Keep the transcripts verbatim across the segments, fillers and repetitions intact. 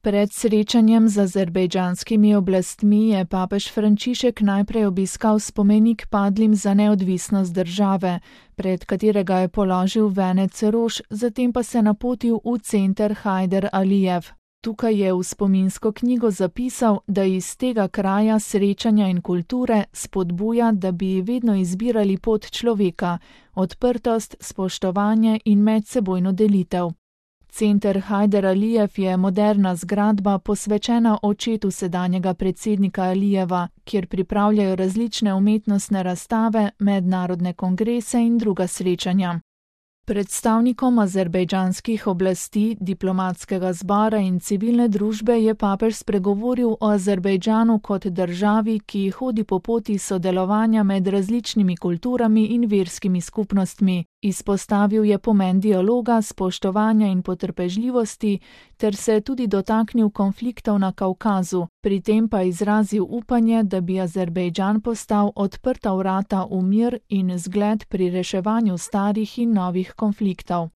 Pred srečanjem z azerbejdžanskimi oblastmi je papež Frančišek najprej obiskal spomenik padlim za neodvisnost države, pred katerega je položil venec rož, zatem pa se napotil v center Hajder Alijev. Tukaj je v spominsko knjigo zapisal, da iz tega kraja srečanja in kulture spodbuja, da bi vedno izbirali pot človeka, odprtost, spoštovanje in medsebojno delitev. Center Hajder Alijev je moderna zgradba posvečena očetu sedanjega predsednika Alijeva, kjer pripravljajo različne umetnostne razstave, mednarodne kongrese in druga srečanja. Predstavnikom azerbejdžanskih oblasti, diplomatskega zbora in civilne družbe je papež spregovoril o Azerbejdžanu kot državi, ki hodi po poti sodelovanja med različnimi kulturami in verskimi skupnostmi. Izpostavil je pomen dialoga, spoštovanja in potrpežljivosti ter se tudi dotaknil konfliktov na Kavkazu, pri tem pa izrazil upanje, da bi Azerbejdžan postal odprta vrata v mir in zgled pri reševanju starih in novih konfliktov.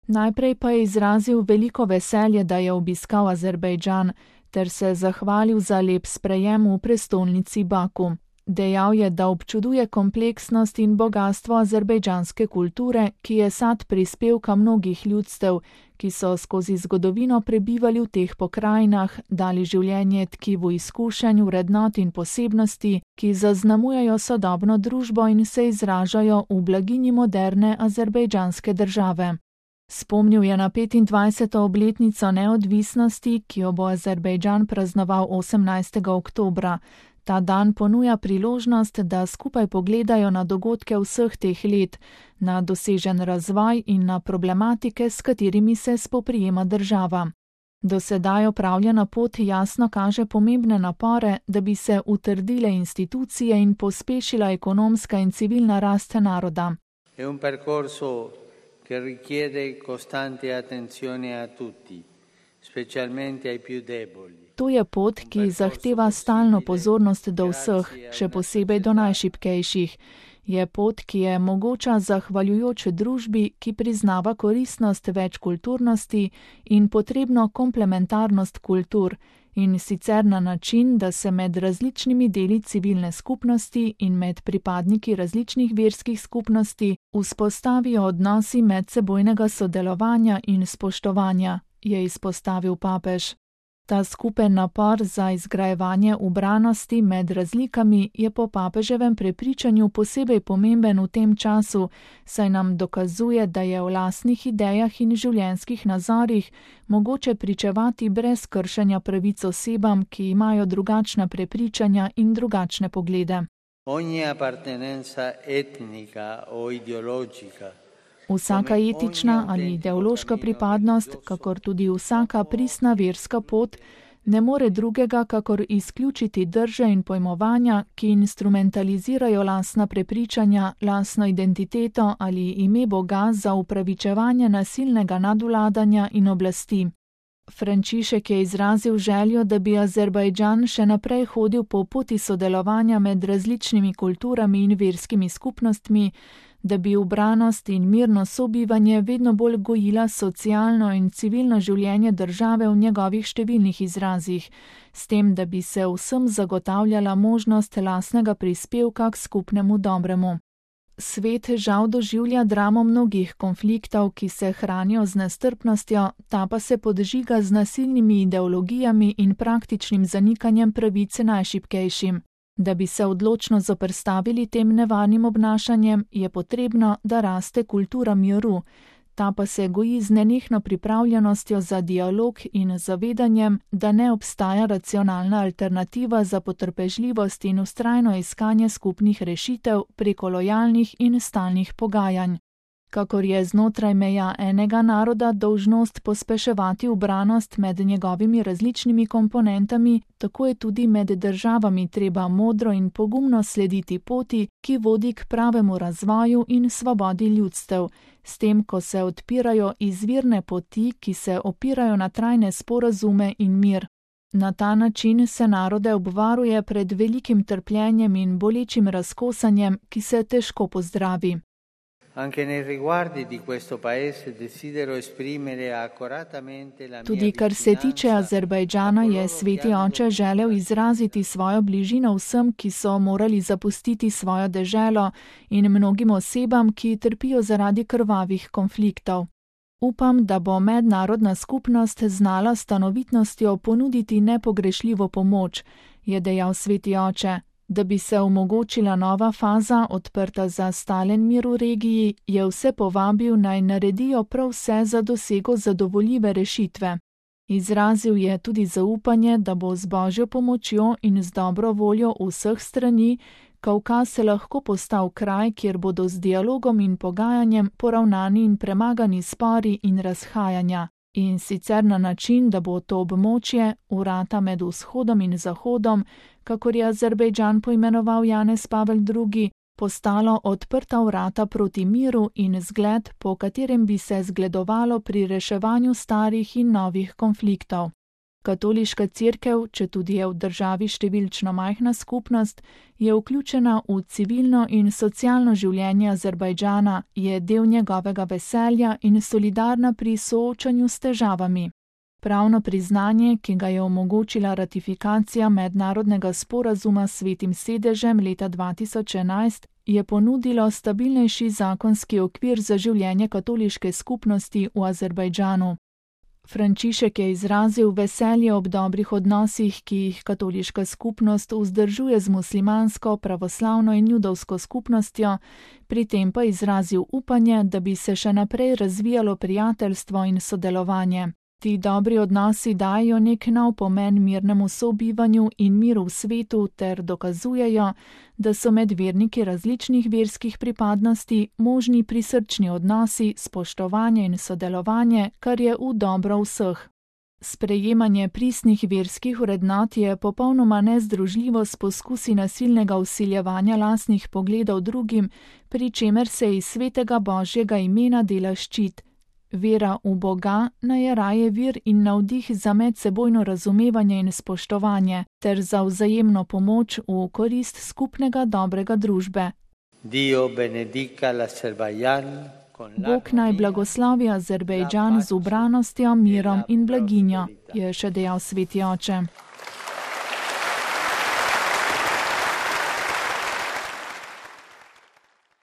Najprej pa je izrazil veliko veselje, da je obiskal Azerbejdžan, ter se zahvalil za lep sprejem v prestolnici Baku. Dejal je, da občuduje kompleksnost in bogastvo azerbejdžanske kulture, ki je sad prispevka mnogih ljudstev, ki so skozi zgodovino prebivali v teh pokrajinah, dali življenje tkivu izkušenj, vrednot in posebnosti, ki zaznamujejo sodobno družbo in se izražajo v blaginji moderne azerbejdžanske države. Spomnil je na petindvajseto obletnico neodvisnosti, ki jo bo Azerbejdžan praznoval osemnajstega oktobra. Ta dan ponuja priložnost, da skupaj pogledajo na dogodke vseh teh let, na dosežen razvoj in na problematike, s katerimi se spoprijema država. Do sedaj opravljena pot jasno kaže pomembne napore, da bi se utrdile institucije in pospešila ekonomska in civilna rast naroda. Je un percorso che richiede costante attenzione a tutti, specialmente ai più deboli. To je pot, ki zahteva stalno pozornost do vseh, še posebej do najšibkejših. Je pot, ki je mogoča zahvaljujoč družbi, ki priznava koristnost večkulturnosti in potrebno komplementarnost kultur, in sicer na način, da se med različnimi deli civilne skupnosti in med pripadniki različnih verskih skupnosti vzpostavijo odnosi medsebojnega sodelovanja in spoštovanja, je izpostavil papež. Ta skupen napor za izgrajevanje ubranosti med razlikami je po papeževem prepričanju posebej pomemben v tem času, saj nam dokazuje, da je v lastnih idejah in življenjskih nazorih mogoče pričevati brez kršenja pravic osebam, ki imajo drugačna prepričanja in drugačne poglede. Ogni appartenenza etnica o ideologica. Vsaka etična ali ideološka pripadnost, kakor tudi vsaka pristna verska pot, ne more drugega, kakor izključiti drže in pojmovanja, ki instrumentalizirajo lastna prepričanja, lastno identiteto ali ime Boga za upravičevanje nasilnega nadvladanja in oblasti. Frančišek je izrazil željo, da bi Azerbejdžan še naprej hodil po poti sodelovanja med različnimi kulturami in verskimi skupnostmi, da bi ubranost in mirno sobivanje vedno bolj gojila socialno in civilno življenje države v njegovih številnih izrazih, s tem, da bi se vsem zagotavljala možnost lastnega prispevka k skupnemu dobremu. Svet žal doživlja dramo mnogih konfliktov, ki se hranijo z nestrpnostjo, ta pa se podžiga z nasilnimi ideologijami in praktičnim zanikanjem pravice najšibkejšim. Da bi se odločno zoperstavili tem nevarnim obnašanjem, je potrebno, da raste kultura miru. Ta pa se goji z nenehno pripravljenostjo za dialog in zavedanjem, da ne obstaja racionalna alternativa za potrpežljivost in vztrajno iskanje skupnih rešitev preko lojalnih in stalnih pogajanj. Kakor je znotraj meja enega naroda dolžnost pospeševati ubranost med njegovimi različnimi komponentami, tako je tudi med državami treba modro in pogumno slediti poti, ki vodi k pravemu razvoju in svobodi ljudstev, s tem, ko se odpirajo izvirne poti, ki se opirajo na trajne sporazume in mir. Na ta način se narode obvaruje pred velikim trpljenjem in bolečim razkosanjem, ki se težko pozdravi. Tudi kar se tiče Azerbajdžana, je sveti oče želel izraziti svojo bližino vsem, ki so morali zapustiti svojo deželo, in mnogim osebam, ki trpijo zaradi krvavih konfliktov. Upam, da bo mednarodna skupnost znala s stanovitnostjo ponuditi nepogrešljivo pomoč, je dejal sveti oče. Da bi se omogočila nova faza, odprta za stalen mir v regiji, je vse povabil, naj naredijo prav vse za dosego zadovoljive rešitve. Izrazil je tudi zaupanje, da bo z božjo pomočjo in z dobro voljo vseh strani Kavkaz se lahko postal kraj, kjer bodo z dialogom in pogajanjem poravnani in premagani spori in razhajanja. In sicer na način, da bo to območje, vrata med vzhodom in zahodom, kakor je Azerbajdžan poimenoval Janez Pavel drugi, postalo odprta vrata proti miru in zgled, po katerem bi se zgledovalo pri reševanju starih in novih konfliktov. Katoliška cerkev, četudi je v državi številčno majhna skupnost, je vključena v civilno in socialno življenje Azerbajdžana, je del njegovega veselja in solidarna pri soočanju s težavami. Pravno priznanje, ki ga je omogočila ratifikacija mednarodnega sporazuma s Svetim sedežem leta dva tisoč enajst, je ponudilo stabilnejši zakonski okvir za življenje katoliške skupnosti v Azerbajdžanu. Frančišek je izrazil veselje ob dobrih odnosih, ki jih katoliška skupnost vzdržuje z muslimansko, pravoslavno in judovsko skupnostjo, pri tem pa izrazil upanje, da bi se še naprej razvijalo prijateljstvo in sodelovanje. Ti dobri odnosi dajo nek nov pomen mirnemu sobivanju in miru v svetu ter dokazujejo, da so med verniki različnih verskih pripadnosti možni prisrčni odnosi, spoštovanje in sodelovanje, kar je v dobro vseh. Sprejemanje pristnih verskih vrednot je popolnoma nezdružljivo s poskusi nasilnega vsiljevanja lastnih pogledov drugim, pri čemer se iz svetega Božjega imena dela ščit. Vera v Boga naj je raje vir in navdih za medsebojno razumevanje in spoštovanje ter za vzajemno pomoč v korist skupnega dobrega družbe. Bog naj blagoslovi Azerbajdžan z ubranostjo, mirom in blaginjo, je še dejal sveti oče.